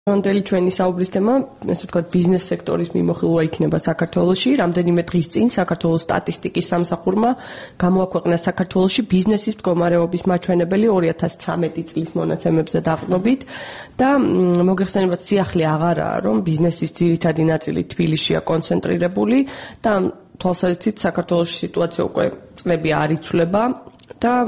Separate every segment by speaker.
Speaker 1: Მოდელი ჩვენი საუბრის თემა, ესე ვთქვათ, ბიზნეს სექტორის მიმოხილვა იქნება საქართველოში. რამდენიმე დღის წინ საქართველოს სტატისტიკის სამსახურმა გამოაქვეყნა საქართველოში ბიზნესის მდგომარეობის მაჩვენებელი 2013 წლის მონაცემებზე დაყრდნობით და მოგეხსენებათ, სიახლე აღარაა, რომ ბიზნესის ძირითადი ნაწილი თბილისშია კონცენტრირებული და თვალსაზრისით საქართველოში სიტუაცია უკვე წლები არ იცვლება და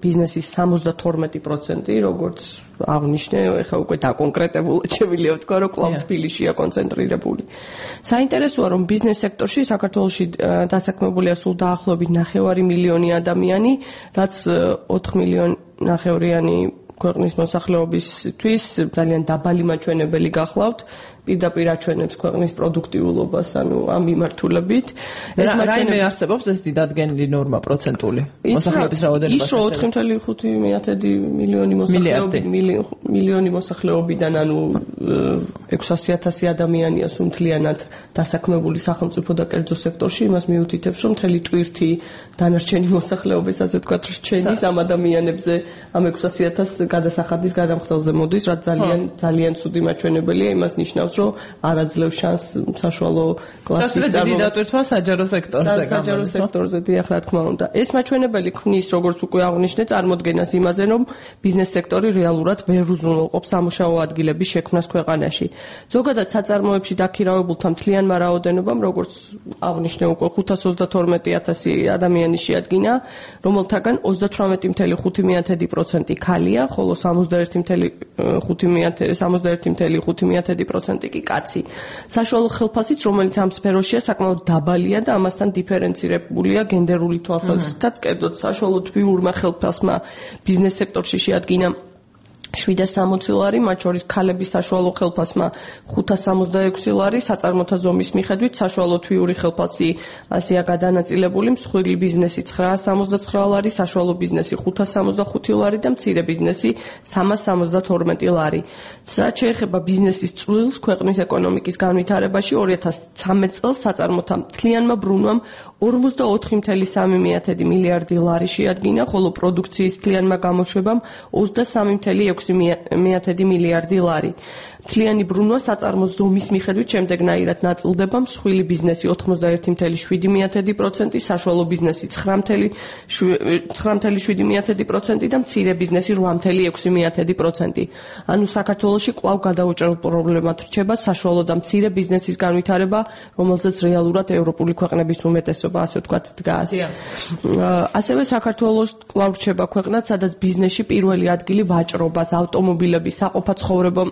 Speaker 1: ბიზნესის 72%, როგორც აღნიშნე, ეხლა უკვე დაკონკრეტებულად შემიძლია ვთქვა, რომ კვლავ თბილისშია კონცენტრირებული. საინტერესოა, რომ ბიზნეს სექტორში საქართველოში დასაქმებულია სულ დაახლოებით 9 მილიონი ადამიანი, რაც 4 მილიონი ქვეყნის მოსახლეობისთვის ძალიან დაბალი მაჩვენებელი გახლავთ. პირდაპირ აჩვენებს ქვეყნის პროდუქტიულობას, ანუ ამ მიმართულებით.
Speaker 2: ეს მაჩვენებელი არსებობს ეს დიდადგენილი ნორმა პროცენტული მოსახლეობის რაოდენობა.
Speaker 1: ის 4.5 მილიონი მოსახლეობიდან, ანუ 600,000 ადამიანია სუნთლიანად დასაქმებული სახელმწიფო და კერძო სექტორში, იმას მიუთითებს, რომ მთელი ტვირთი დანარჩენი მოსახლეობის, ასე ვთქვათ, რჩენის ამ ადამიანებზე, ამ 600,000 გადასახადის გადამხდელზე მოდის, რაც ძალიან ცუდი მაჩვენებელია, იმას ნიშნავს, რომ არ აძლევს შანსს საშუალო კლასის
Speaker 2: დატვირთვა საჯარო სექტორზე.
Speaker 1: საჯარო სექტორზე, დიახ, რა თქმა უნდა. ეს მაჩვენებელი ქმნის, როგორც უკვე აღნიშნე, წარმოდგენას იმაზე, რომ ბიზნეს სექტორი რეალურად ვერ უზრუნველყოფს სამუშაო ადგილების შექმნას ქვეყანაში. ზოგადად საწარმოებში დაქირავებულთა მთლიანმა რაოდენობამ, როგორც აღნიშნე, უკვე 532,000 ადამიანი შეადგინა, რომელთაგან 38.5% ქალია, ხოლო 61.5% კი კაცი. საშუალო ხელფასიც, რომელიც ამ სფეროშია, საკმაოდ დაბალია და ამასთან დიფერენცირებულია გენდერული თვალსაზრისითაც. კერძოდ, საშუალო თბილურმა ხელფასმა ბიზნეს სექტორში შეადგინა 760 ლარი, მათ შორის ქალების საშუალო ხელფასმა 566 ლარი, საწარმოთა ზომის მიხედვით საშუალო თვიური ხელფასი ასეა გადანაწილებული, მსხვილი ბიზნესი 969 ლარი, საშუალო ბიზნესი 565 ლარი და მცირე ბიზნესი 372 ლარი. რაც შეეხება ბიზნესის წვლილს ქვეყნის ეკონომიკის განვითარებაში, 2013 წელს საწარმოთა მთლიანმა ბრუნვამ 44.3 მილიარდი ლარი შეადგინა, ხოლო პროდუქციის მთლიანმა გამოშვებამ 23.6 მილიარდი ლარი. მთლიანი ბრუნვა საწარმოს ზომის მიხედვით შემდეგნაირად ნაწილდება: მსხვილი ბიზნესი 91.7%, საშუალო ბიზნესი 9.7% და მცირე ბიზნესი 8.6%. ანუ საქართველოში კვლავ გადაუჭრელ პრობლემად რჩება საშუალო და მცირე ბიზნესის განვითარება, რომელზეც რეალურად ევროპული ქვეყნების უმეტესობა, ასე ვთქვათ, დგას. ასევე საქართველოს კვლავ რჩება ქვეყნად, სადაც ბიზნესში პირველი ადგილი ვაჭრობას, ავტომობილების, საყოფაცხოვრებო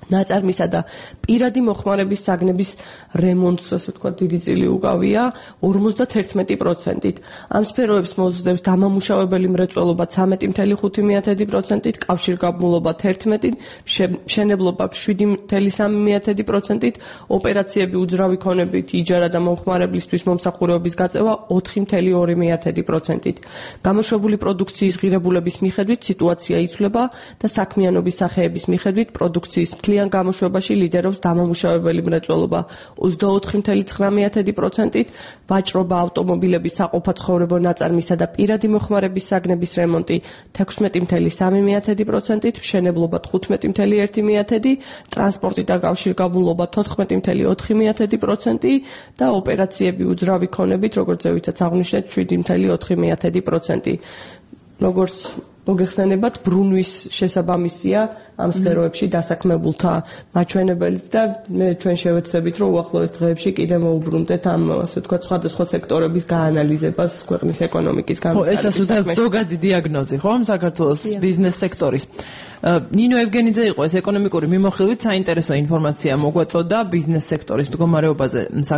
Speaker 1: ნაწარმისა და პირადი მოხმარების საგნების რემონტს, ასე ვთქვათ, დიდი წილი უკავია 51%. ამ სფეროებს მოსდევს დამამუშავებელი მრეწველობა 13.5%, კავშირგაბმულობა 11%, მშენებლობა 7.3%, ოპერაციები უძრავი ქონებით, იჯარა და მომხმარებლისთვის მომსახურების გაწევა 4.2%. გამოშვებული პროდუქციის ღირებულების მიხედვით სიტუაცია იცვლება და საქმიანობის სახეების მიხედვით პროდუქციის მთლიან გამოშვებაში ლიდერობს დამამუშავებელი მრეწველობა 24.9%, ვაჭრობა, ავტომობილების, საყოფაცხოვრებო ნაწარმისა და პირადი მოხმარების საგნების რემონტი 16.3%, მშენებლობა 15.1%, ტრანსპორტი და კავშირგაბმულობა 14.4% და ოპერაციები უძრავი ქონებით, როგორც ზევითაც აღნიშნეთ, 7.4%. როგორც მოგეხსენებათ, ბრუნვის შესაბამისია ამ სფეროებში დასაქმებულთა მაჩვენებელიც და ჩვენ შევეცდებით, რომ უახლოეს დღეებში კიდე მოუბრუნდეთ ამ, ასე ვთქვათ, სხვადასხვა სექტორების გაანალიზებას ქვეყნის ეკონომიკის განვითარების.
Speaker 2: ეს ასე ზოგადი დიაგნოზი, ხო, საქართველოს ბიზნეს სექტორის. ნინო ევგენიძე იყო ეს ეკონომიკური მიმოხილვით საინტერესო ინფორმაცია მოგვაწოდა ბიზნეს სექტორის მდგომარეობაზე საქართველოს